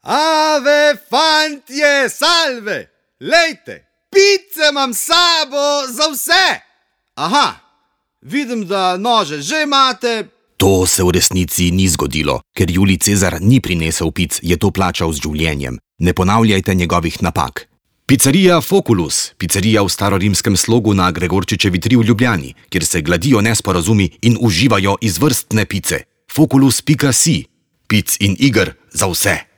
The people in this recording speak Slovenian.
Ave, fantje, salve! Lejte, pice imam s sabo za vse! Aha, vidim, da nože že imate. To se v resnici ni zgodilo, ker Julij Cezar ni prinesel pic, je to plačal z življenjem. Ne ponavljajte njegovih napak. Pizzerija Foculus, pizzerija v starorimskem slogu na Gregorčičevi 3 v Ljubljani, kjer se gladijo nesporazumi in uživajo izvrstne pice. Foculus.si, pic in iger za vse.